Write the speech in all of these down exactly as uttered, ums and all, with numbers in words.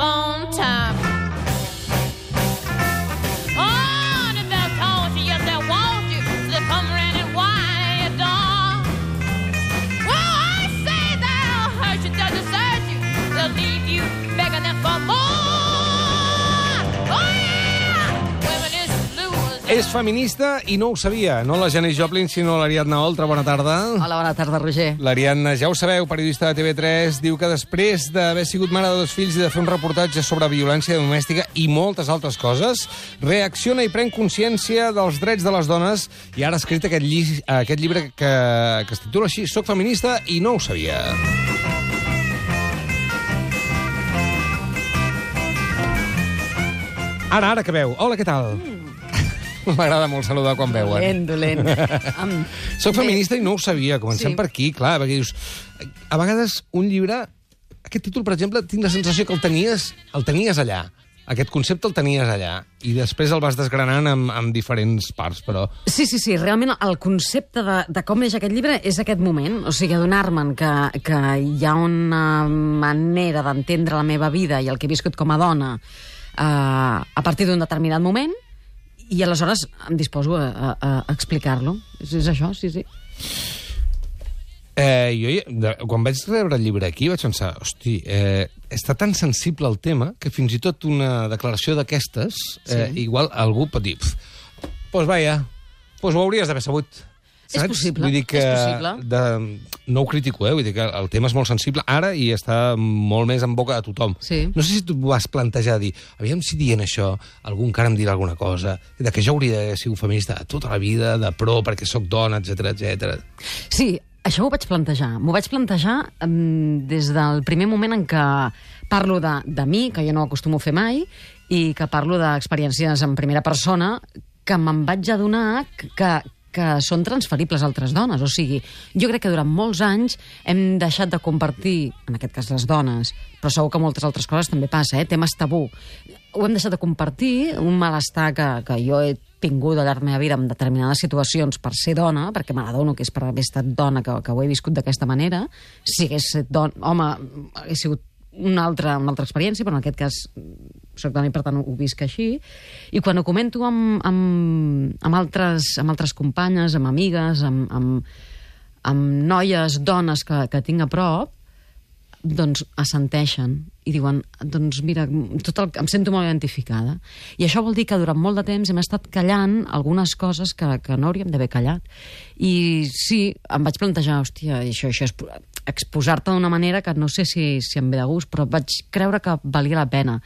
on time. Oh, the bell told you, yes, they want you. So they come around and whine at your door. Well, I say they'll hurt you, they'll desert you. They'll leave you begging them for more. Oh, yeah! Women is blue. És feminista i no ho sabia. No la Janis Joplin, sinó l'Ariadna Oltra. Bona tarda. Hola, bona tarda, Roger. L'Ariadna, ja ho sabeu, periodista de T V tres, diu que després d'haver sigut mare de dos fills i de fer un reportatge sobre violència domèstica i moltes altres coses, reacciona i pren consciència dels drets de les dones i ara ha escrit aquest, lli aquest llibre que, que es titula així, Soc feminista i no ho sabia. Ara, ara que veu. Hola, què tal? Mm. M'agrada molt saludar quan veuen. Dolent, dolent. Um, Soc feminista i no ho sabia. Comencem Sí. per aquí, clar, perquè dius... A vegades un llibre... Aquest títol, per exemple, tinc la sensació que el tenies, el tenies allà. Aquest concepte el tenies allà. I després el vas desgranant amb, amb diferents parts, però... Sí, sí, sí. Realment el concepte de, de com neix aquest llibre és aquest moment. O sigui, adonar-me'n que, que hi ha una manera d'entendre la meva vida i el que he viscut com a dona eh, a partir d'un determinat moment, i aleshores em disposo a, a, a explicar-lo. És, és això, sí, sí. Eh, jo, de, quan vaig rebre el llibre aquí, vaig pensar, hosti, eh, està tan sensible el tema que fins i tot una declaració d'aquestes, eh, Sí. igual algú pot dir, doncs pues vaja, pues ho hauries d'haver sabut. És possible, Vull dir que és possible. De, no ho critico, eh? Vull dir que el tema és molt sensible ara i està molt més en boca de tothom. Sí. No sé si tu vas plantejar dir, aviam si dient això algú encara em dirà alguna cosa, de que jo hauria d'haver sigut feminista tota la vida, de pro, perquè sóc dona, etcètera, etcètera. Sí, això m'ho vaig plantejar. M'ho vaig plantejar um, des del primer moment en què parlo de, de mi, que jo no acostumo a fer mai, i que parlo d'experiències en primera persona, que me'n vaig adonar que, que són transferibles a altres dones. O sigui, jo crec que durant molts anys hem deixat de compartir, en aquest cas les dones, però segur que moltes altres coses també passa, eh? Temes tabú. Ho hem deixat de compartir, un malestar que, que jo he tingut al llarg de la meva vida en determinades situacions per ser dona, perquè me n'adono que és per haver estat dona que, que ho he viscut d'aquesta manera. Si hagués estat dona, home, hagués sigut una altra, una altra experiència, però en aquest cas soc dona i per tant ho visc així. I quan ho comento amb, amb, amb, altres, amb altres companyes, amb amigues, amb, amb, amb noies, dones que, que tinc a prop, doncs assenteixen i diuen, doncs mira, tot el, em sento molt identificada. I això vol dir que durant molt de temps hem estat callant algunes coses que, que no hauríem d'haver callat. I sí, em vaig plantejar, hòstia, això, això és exposar-te d'una manera que no sé si, si em ve de gust, però vaig creure que valia la pena.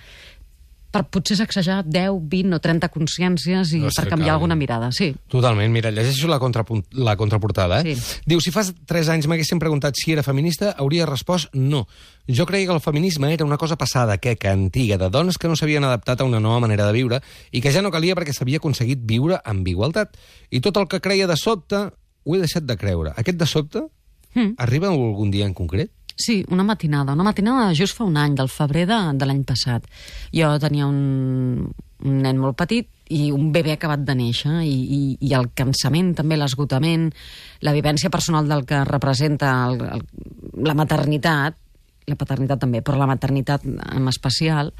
Per potser sacsejar deu, vint o trenta consciències i No per sé, canviar cal. alguna mirada, sí. Totalment. Mira, llegeixo la, contrapunt, la contraportada. Eh? Sí. Diu, si fa tres anys m'haguessin preguntat si era feminista, hauria respost no. Jo creia que el feminisme era una cosa passada, queca, antiga, de dones que no s'havien adaptat a una nova manera de viure i que ja no calia perquè s'havia aconseguit viure amb igualtat. I tot el que creia de sobte ho he deixat de creure. Aquest de sobte Mm. arriba algun dia en concret? Sí, una matinada. Una matinada just fa un any, del febrer de, de l'any passat. Jo tenia un, un nen molt petit i un bebè acabat de néixer i, i, i el cansament, també l'esgotament, la vivència personal del que representa el, el, la maternitat, la paternitat també, però la maternitat en especial,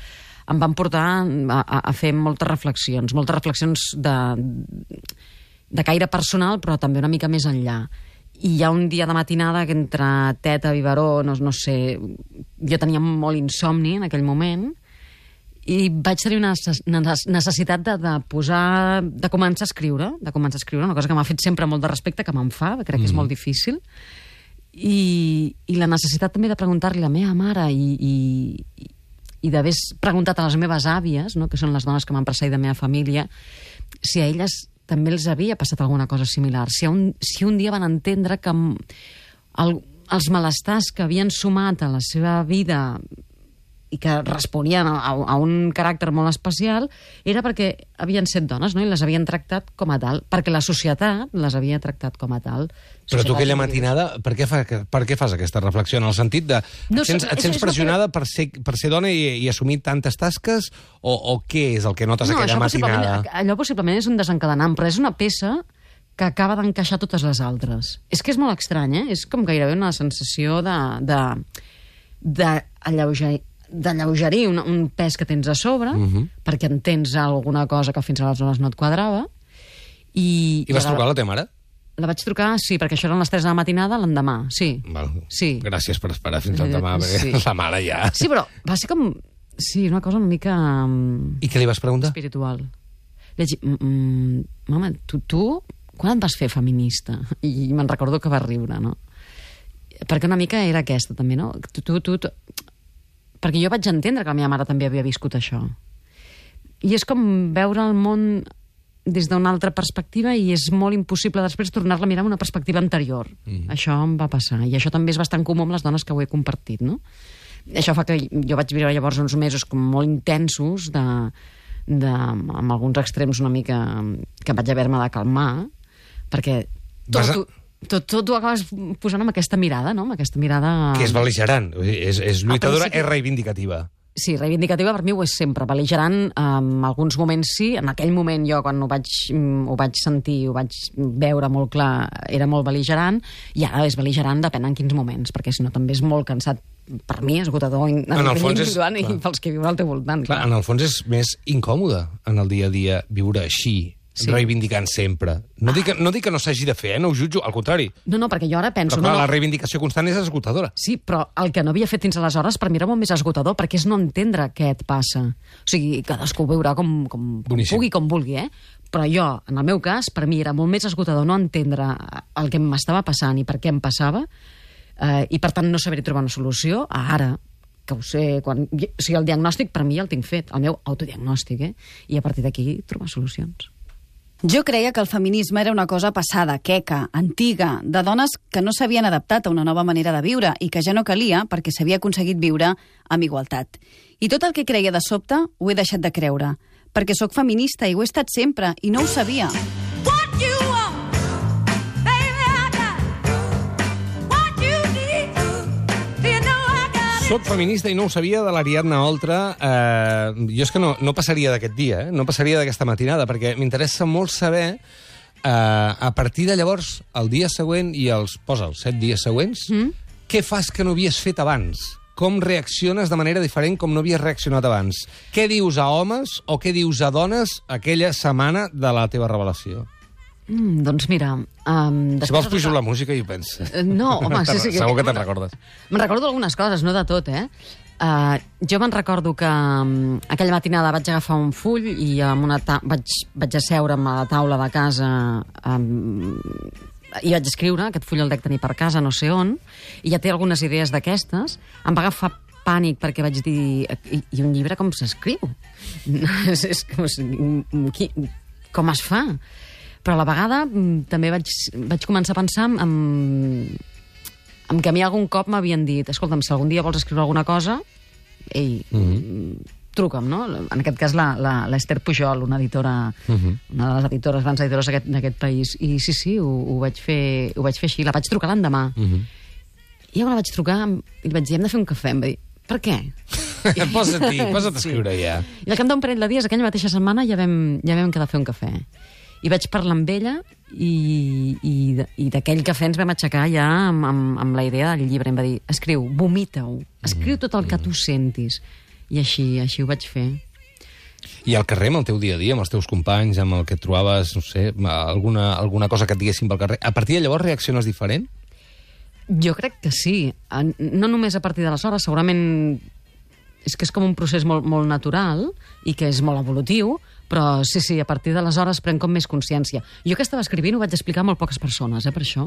em van portar a, a, a fer moltes reflexions, moltes reflexions de, de caire personal, però també una mica més enllà. I hi ha un dia de matinada que entre teta, biberó, no, no sé, jo tenia molt insomni en aquell moment i vaig tenir una necessitat de, de posar, de començar a escriure, de començar a escriure, una cosa que m'ha fet sempre molt de respecte, que me'n fa, crec que és molt difícil, i, i la necessitat també de preguntar-li a la meva mare i, i, i d'haver preguntat a les meves àvies, no?, que són les dones que m'han precedit de la meva família, si a elles també els havia passat alguna cosa similar. Si un, si un dia van entendre que el, els malestars que havien sumat a la seva vida i que responien a, a un caràcter molt especial era perquè havien set dones, no?, i les havien tractat com a tal, perquè la societat les havia tractat com a tal. Però tu aquella Societat matinada, per què, fa, per què fas aquesta reflexió? En el sentit de... No, et sents, et és- sents és una pressionada per ser, per ser dona i, i assumir tantes tasques? O, o què és el que notes No, aquella això matinada? possiblement- allò possiblement és un desencadenant, però és una peça que acaba d'encaixar totes les altres. És que és molt estrany, eh? És com gairebé una sensació de... de, de alleuger, d'alleugerir un, un pes que tens a sobre, uh -huh. perquè entens alguna cosa que fins aleshores no et quadrava. I, I vas trucar a la teva mare? La vaig trucar, sí, perquè això eren les tres de la matinada l'endemà, sí. Val. Sí. Gràcies per esperar fins al demà, perquè Sí. la mare ja... Sí, però va ser com... Sí, una cosa una mica... um, I què li vas preguntar? espiritual. Li vaig dir, mm, mm, mama, tu, tu quan et vas fer feminista? I me'n recordo que va riure, no? Perquè una mica era aquesta, també, no? Tu, tu, tu, tu... Perquè jo vaig entendre que la meva mare també havia viscut això. I és com veure el món des d'una altra perspectiva i és molt impossible després tornar-la a mirar amb una perspectiva anterior. Mm. Això em va passar. I això també és bastant comú amb les dones que ho he compartit, no? Això fa que jo vaig viure llavors uns mesos com molt intensos, de, de, amb alguns extrems una mica que vaig haver-me de calmar, perquè tot, Vas a... tot, tot ho acabes posant amb aquesta mirada, no? Amb aquesta mirada... Que és bel·ligerant, és, és lluitadora, principi... és reivindicativa. Sí, reivindicativa per mi ho és sempre. Bel·ligerant, en alguns moments sí. En aquell moment jo, quan ho vaig, ho vaig sentir, ho vaig veure molt clar, era molt bel·ligerant, i ara és bel·ligerant depèn en quins moments, perquè si no també és molt cansat. Per mi, esgotador, en, en el fons és, i clar, pels que viuen al teu voltant. Clar, clar. En el fons és més incòmode en el dia a dia viure així, sí. Reivindicant sempre. No dic, que, no dic que no s'hagi de fer, eh? No ho jutjo, al contrari. No, no, perquè jo ara penso... Però clar, no, no. la reivindicació constant és esgotadora. Sí, però el que no havia fet fins aleshores per mi era molt més esgotador, perquè és no entendre què et passa. O sigui, cadascú ho veurà com, com, com pugui, com vulgui, eh? Però jo, en el meu cas, per mi era molt més esgotador no entendre el que m'estava passant i per què em passava, eh, i per tant no saber-hi trobar una solució, a ara, que ho sé, quan... O sigui, el diagnòstic per mi ja el tinc fet, el meu autodiagnòstic, eh? I a partir d'aquí trobar solucions. Jo creia que el feminisme era una cosa passada, queca, antiga, de dones que no s'havien adaptat a una nova manera de viure i que ja no calia perquè s'havia aconseguit viure amb igualtat. I tot el que creia de sobte ho he deixat de creure, perquè sóc feminista i ho he estat sempre i no ho sabia. Soc feminista i no ho sabia, de l'Ariadna Oltra. Eh, jo és que no, no passaria d'aquest dia, eh? No passaria d'aquesta matinada, perquè m'interessa molt saber, eh, a partir de llavors, el dia següent i els, posa, els set dies següents, mm? Què fas que no havies fet abans? Com reacciones de manera diferent com no havies reaccionat abans? Què dius a homes o què dius a dones aquella setmana de la teva revelació? Mm, doncs mira... Um, si vols pujo la música i ho penso. Uh, no, home... sí, sí, segur que te'n recordes. Me'n recordo algunes coses, no de tot, eh? Uh, jo me'n recordo que um, aquella matinada vaig agafar un full i amb una ta vaig, vaig asseure'm a la taula de casa um, i vaig escriure, aquest full el dec tenir per casa, no sé on, i ja té algunes idees d'aquestes. Em va agafar pànic perquè vaig dir... I, i un llibre com s'escriu? és, és, com, qui, com es fa? Però a la vegada també vaig, vaig començar a pensar en, en que a mi algun cop m'havien dit escolta'm, si algun dia vols escriure alguna cosa, ei, mm-hmm. truca'm, no? En aquest cas l'Ester Pujol, una editora, mm-hmm. una de les editores, grans editores d'aquest país. I sí, sí, ho, ho, vaig fer, ho vaig fer així. La vaig trucar l'endemà. Mm-hmm. I llavors la vaig trucar i li vaig dir, hem de fer un cafè. Em va dir, per què? Posa't-hi, posa't a escriure ja. I al cap d'un parell de dies, aquella mateixa setmana, ja vam, ja vam quedar a fer un cafè. I vaig parlar amb ella i, i, i d'aquell cafè ens vam aixecar ja amb, amb, amb la idea del llibre. Em va dir, escriu, vomita-ho, escriu tot el que tu sentis. I així, així ho vaig fer. I al carrer, amb el teu dia a dia, amb els teus companys, amb el que et trobaves, no sé, alguna, alguna cosa que et diguessin pel carrer, a partir de llavors reacciones diferent? Jo crec que sí. No només a partir d'aleshores, segurament és que és com un procés molt, molt natural i que és molt evolutiu, però sí, sí, a partir d'aleshores prenc com més consciència. Jo que estava escrivint ho vaig explicar a molt poques persones, eh, per això,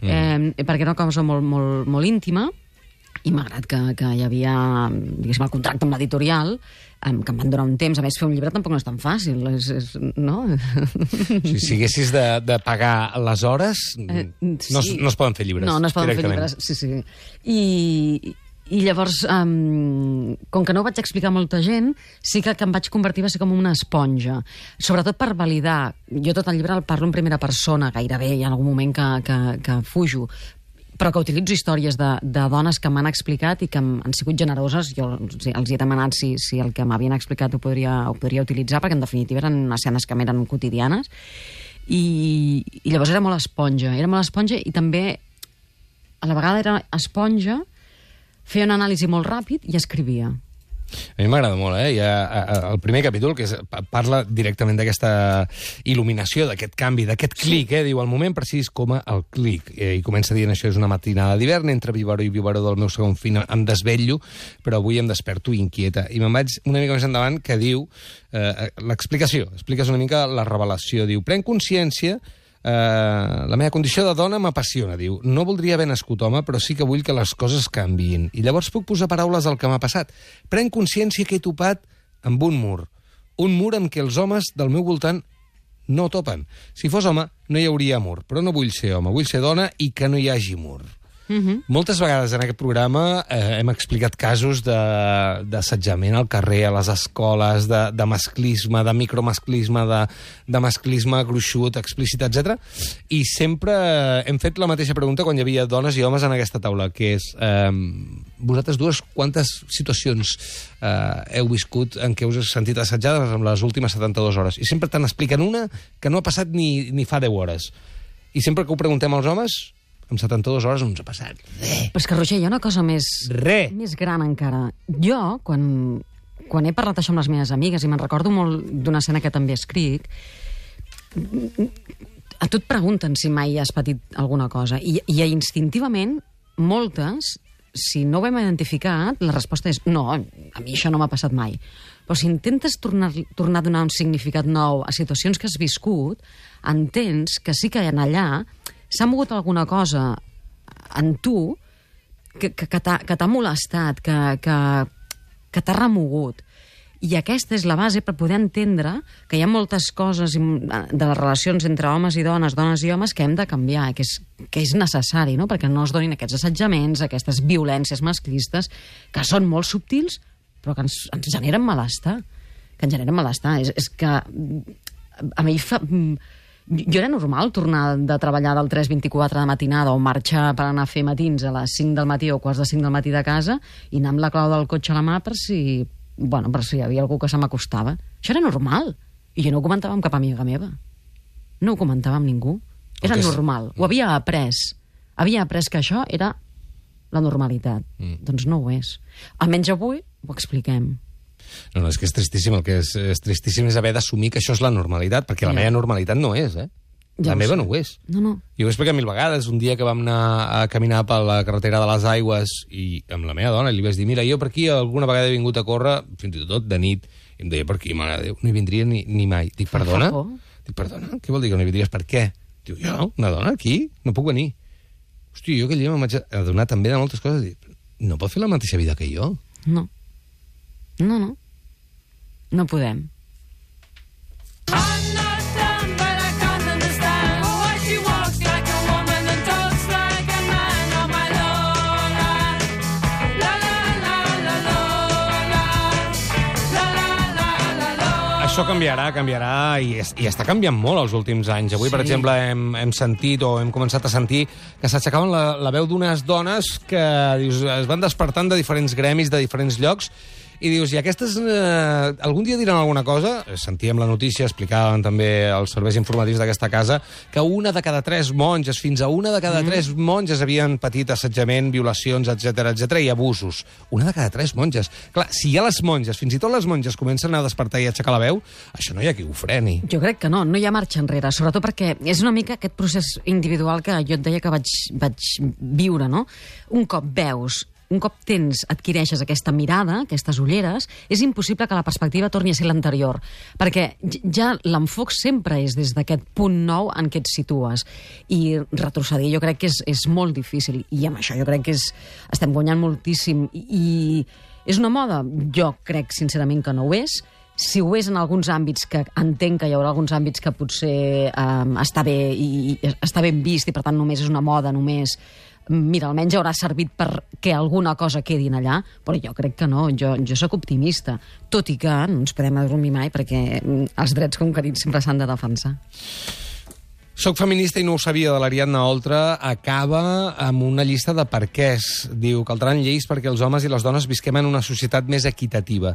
mm. eh, perquè era una cosa molt, molt, molt íntima, i malgrat que, que hi havia, diguéssim, el contracte amb l'editorial, eh, que em van donar un temps, a més fer un llibre tampoc no és tan fàcil, és, és, no? Si, si haguessis de, de pagar les hores, eh, sí. no, es, no es poden fer llibres. No, no es poden fer llibres, sí, sí. I... I llavors, um, com que no ho vaig explicar a molta gent, sí que el que em vaig convertir va ser com una esponja. Sobretot per validar. Jo tot el llibre el parlo en primera persona, gairebé, hi ha algun moment que, que, que fujo, però que utilitzo històries de, de dones que m'han explicat i que han sigut generoses. Jo o sigui, els he demanat si, si el que m'havien explicat ho podria, ho podria utilitzar, perquè en definitiva eren escenes que m'eren quotidianes. I, I llavors era molt esponja. Era molt esponja i també, a la vegada era esponja, feia una anàlisi molt ràpid i escrivia. A mi m'agrada molt, eh? Hi ha el primer capítol, que és, parla directament d'aquesta il·luminació, d'aquest canvi, d'aquest clic, eh? Diu, el moment precís com el clic. I comença dient, això és una matinada d'hivern, entre biberó i biberó del meu segon fill em desvetllo, però avui em desperto inquieta. I me'n vaig una mica més endavant, que diu, eh, l'explicació, expliques una mica la revelació. Diu, pren consciència. Uh, la meva condició de dona m'apassiona, diu. No voldria haver nascut home, però sí que vull que les coses canviïn. I llavors puc posar paraules al que m'ha passat. Pren consciència que he topat amb un mur. Un mur amb què els homes del meu voltant no topen. Si fos home, no hi hauria mur. Però no vull ser home, vull ser dona i que no hi hagi mur. Uh-huh. Moltes vegades en aquest programa eh, hem explicat casos d'assetjament al carrer, a les escoles, de, de masclisme, de micromasclisme, de, de masclisme gruixut, explícit, etcètera. I sempre hem fet la mateixa pregunta quan hi havia dones i homes en aquesta taula, que és, eh, vosaltres dues, quantes situacions eh, heu viscut en què us heu sentit assetjades en les últimes setanta-dues hores? I sempre te'n expliquen una que no ha passat ni, ni fa deu hores. I sempre que ho preguntem als homes, en setanta-dues hores no ens ha passat res. Però és que, Roger, hi ha una cosa més, Re. més gran encara. Jo, quan, quan he parlat això amb les meves amigues, i me'n recordo molt d'una escena que també escric, a tu et pregunten si mai has patit alguna cosa. I, i instintivament, moltes, si no ho hem identificat, la resposta és no, a mi això no m'ha passat mai. Però si intentes tornar, tornar a donar un significat nou a situacions que has viscut, entens que sí que en allà s'ha mogut alguna cosa en tu que, que, que t'ha molestat, que, que, que t'ha remogut. I aquesta és la base per poder entendre que hi ha moltes coses de les relacions entre homes i dones, dones i homes, que hem de canviar, que és, que és necessari, no? Perquè no es donin aquests assetjaments, aquestes violències masclistes, que són molt subtils, però que ens, ens generen malestar. Que ens generen malestar. És, és que a mi fa... Jo era normal tornar de treballar del tres vint-i-quatre de matinada o marxar per anar a fer matins a les cinc del matí o quarts de cinc del matí de casa i anar amb la clau del cotxe a la mà per si, bueno, per si hi havia algú que se m'acostava. Això era normal. I jo no ho comentava amb cap amiga meva. No ho comentava amb ningú. Era és... normal. Ho havia après. Havia après que això era la normalitat. Mm. Doncs no ho és. Almenys avui ho expliquem. No, no, és que és tristíssim. El que és, és tristíssim és haver d'assumir que això és la normalitat, perquè la ja. meva normalitat no és, eh? Ja la meva sé. no ho és. No, no. I ho he explicat mil vegades. Un dia que vam anar a caminar per la carretera de les Aigües i amb la meva dona li vaig dir, mira, jo per aquí alguna vegada he vingut a córrer, fins i tot de nit, i em deia, per aquí, mare de Déu, no hi vindria ni, ni mai. Dic, perdona? Dic, perdona? Què vol dir que no hi vindries? Per què? Diu, jo, una dona aquí? No puc venir. Hòstia, jo aquell dia m'ho vaig adonar també de moltes coses. Dic, no pot fer la mateixa vida que jo? No. No, no. No podem. Això canviarà, canviarà, i, es, i està canviant molt els últims anys. Avui, sí. per exemple, hem, hem sentit o hem començat a sentir que s'aixecaven la, la veu d'unes dones que dius, es van despertant de diferents gremis, de diferents llocs, i dius, i aquestes eh, algun dia diran alguna cosa? Sentíem la notícia, explicaven també els serveis informatius d'aquesta casa, que una de cada tres monges, fins a una de cada mm. tres monges havien patit assetjament, violacions, etcètera, etcètera, i abusos. Una de cada tres monges. Clar, si ja les monges, fins i tot les monges, comencen a despertar i a aixecar la veu, això no hi ha qui ho freni. Jo crec que no, no hi ha marxa enrere, sobretot perquè és una mica aquest procés individual que jo et deia que vaig, vaig viure, no? Un cop veus, un cop tens, adquireixes aquesta mirada, aquestes ulleres, és impossible que la perspectiva torni a ser l'anterior, perquè ja l'enfoc sempre és des d'aquest punt nou en què et situes. I retrocedir jo crec que és, és molt difícil, i amb això jo crec que és, estem guanyant moltíssim. I, i és una moda? Jo crec sincerament que no ho és. Si ho és en alguns àmbits, que entenc que hi haurà alguns àmbits que potser eh, està bé i, i està ben vist i per tant només és una moda, només... Mira, almenys haurà servit perquè alguna cosa quedi allà, però jo crec que no, jo, jo sóc optimista, tot i que no ens podem adormir mai perquè els drets conquerits sempre s'han de defensar. Soc feminista i no ho sabia, de l'Ariadna Oltra, acaba amb una llista de perquès. Diu, caldran lleis perquè els homes i les dones visquem en una societat més equitativa.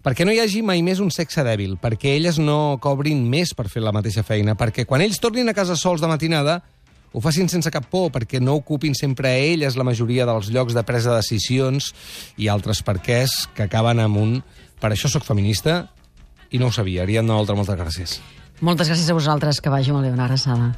Perquè no hi hagi mai més un sexe dèbil, perquè elles no cobrin més per fer la mateixa feina, perquè quan ells tornin a casa sols de matinada ho facin sense cap por, perquè no ocupin sempre a elles la majoria dels llocs de presa de decisions i altres perquès que acaben amb un per això sóc feminista i no ho sabia. Ariadna Oltra, moltes gràcies. Moltes gràcies a vosaltres, que vagi molt bé, una abraçada.